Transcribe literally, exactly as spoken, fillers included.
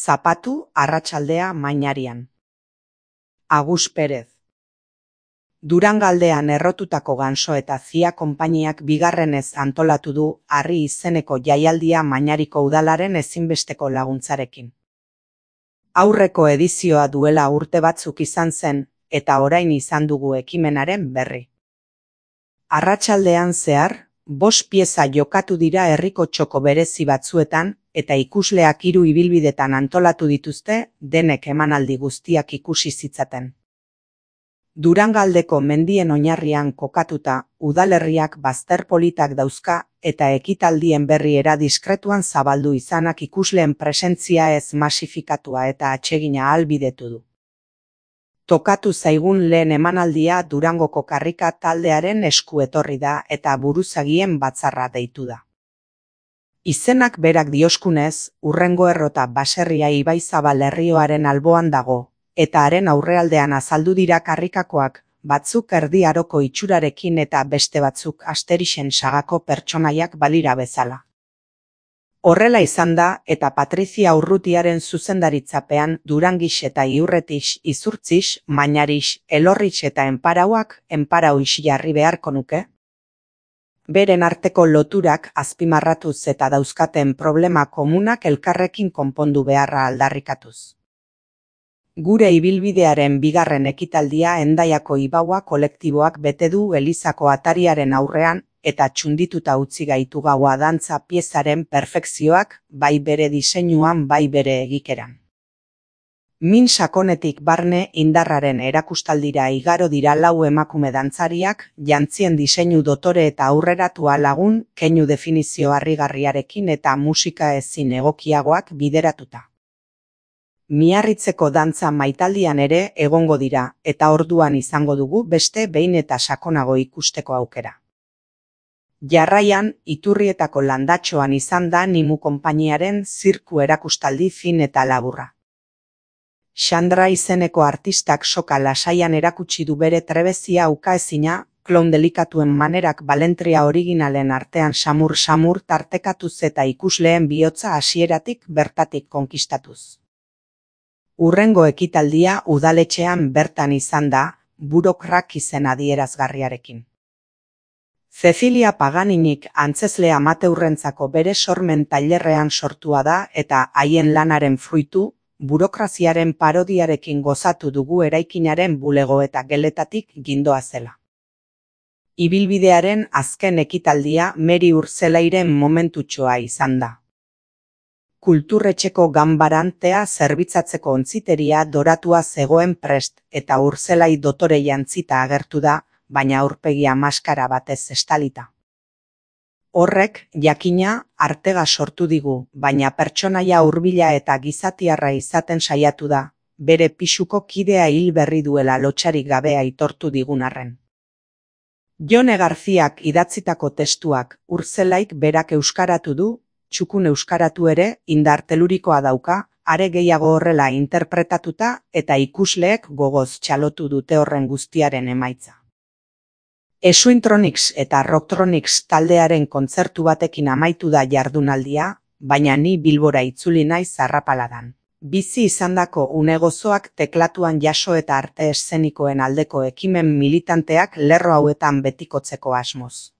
Zapatu arratsaldea Mainarian. Agus Perez. Durangaldean errotutako ganso eta zia konpainiak bigarrenez antolatu du harri izeneko jaialdia Mainariko udalaren ezinbesteko laguntzarekin. Aurreko edizioa duela urte batzuk izan zen, eta orain izan dugu ekimenaren berri. Arratsaldean zehar, bost pieza jokatu dira herriko txoko berezi batzuetan, eta ikusleak hiru ibilbidetan antolatu dituzte, denek emanaldi guztiak ikusi zitzaten. Durangaldeko mendien oinarrian kokatuta, udalerriak bazter politak dauzka, eta ekitaldien berriera diskretuan zabaldu izanak ikusleen presentzia ez masifikatua eta atsegina ahalbidetu du. Tokatu zaigun lehen emanaldia Durangoko karrika taldearen esku etorri da eta buruzagien batzarra deitu da. Izenak berak dioskunez, hurrengo errota baserria Ibaizabal herrioaren alboan dago, eta haren aurrealdean azaldu dira karrikakoak, batzuk erdi aroko itxurarekin eta beste batzuk Asterixen sagako pertsonaiak balira bezala. Horrela izan da, eta Patrizia Urrutiaren zuzendaritzapean Durangix eta Iurretix izurtzix, Mainarix, Elorrix eta Enparauak Enparauix jarri beharko nuke. Beren arteko loturak azpimarratuz eta dauzkaten problema komunak elkarrekin konpondu beharra aldarrikatuz. Gure ibilbidearen bigarren ekitaldia Hendaiako Ibaua kolektiboak bete du elizako atariaren aurrean, eta txundituta utzi gaitu gaua dantza piezaren perfekzioak, bai bere diseinuan bai bere egikeran. Min sakonetik barne indarraren erakustaldira igaro dira lau emakume dantzariak, jantzien diseinu dotore eta aurreratua lagun, keinu definizio harrigarriarekin eta musika ezin egokiagoak bideratuta. Miarritzeko dantza maitaldian ere egongo dira, eta orduan izango dugu beste behin eta sakonago ikusteko aukera. Jarraian, Iturrietako landatxoan izan da Nimu konpainiaren zirku erakustaldi fin eta laburra. Xandra izeneko artistak soka lasaian erakutsi du bere trebezia ukaezina, klon delikatuen manerak balentria originalen artean samur-samur tartekatuz eta ikusleen bihotza hasieratik bertatik konkistatuz. Hurrengo ekitaldia udaletxean bertan izan da, burokrak izen adierazgarriarekin. Cecilia Paganinik antzezle amateurrentzako bere sormen tailerrean sortua da eta haien lanaren fruitu, burokraziaren parodiarekin gozatu dugu eraikinaren bulego eta geletatik gindoa zela. Ibilbidearen azken ekitaldia Meri Urzelairen momentutxoa izan da. Kulturretxeko ganbarantea zerbitzatzeko ontziteria doratua zegoen prest eta Urzelai dotore jantzita agertu da, baina aurpegia maskara batez estalita. Horrek, jakina, artega sortu digu, baina pertsonaia hurbila eta gizatiarra izaten saiatu da, bere pisuko kidea hil berri duela lotsarik gabe aitortu digun arren. Jone Garziak idatzitako testuak Urzelaik berak euskaratu du, txukun euskaratu ere indar telurikoa dauka, are gehiago horrela interpretatuta eta ikusleek gogoz txalotu dute horren guztiaren emaitza. Esuintronics eta Rocktronics taldearen kontzertu batekin amaitu da jardunaldia, baina ni Bilbora itzuli naiz arrapaladan. Bizi izandako une gozoak teklatuan jaso eta arte eszenikoen aldeko ekimen militanteak lerro hauetan betikotzeko asmoz.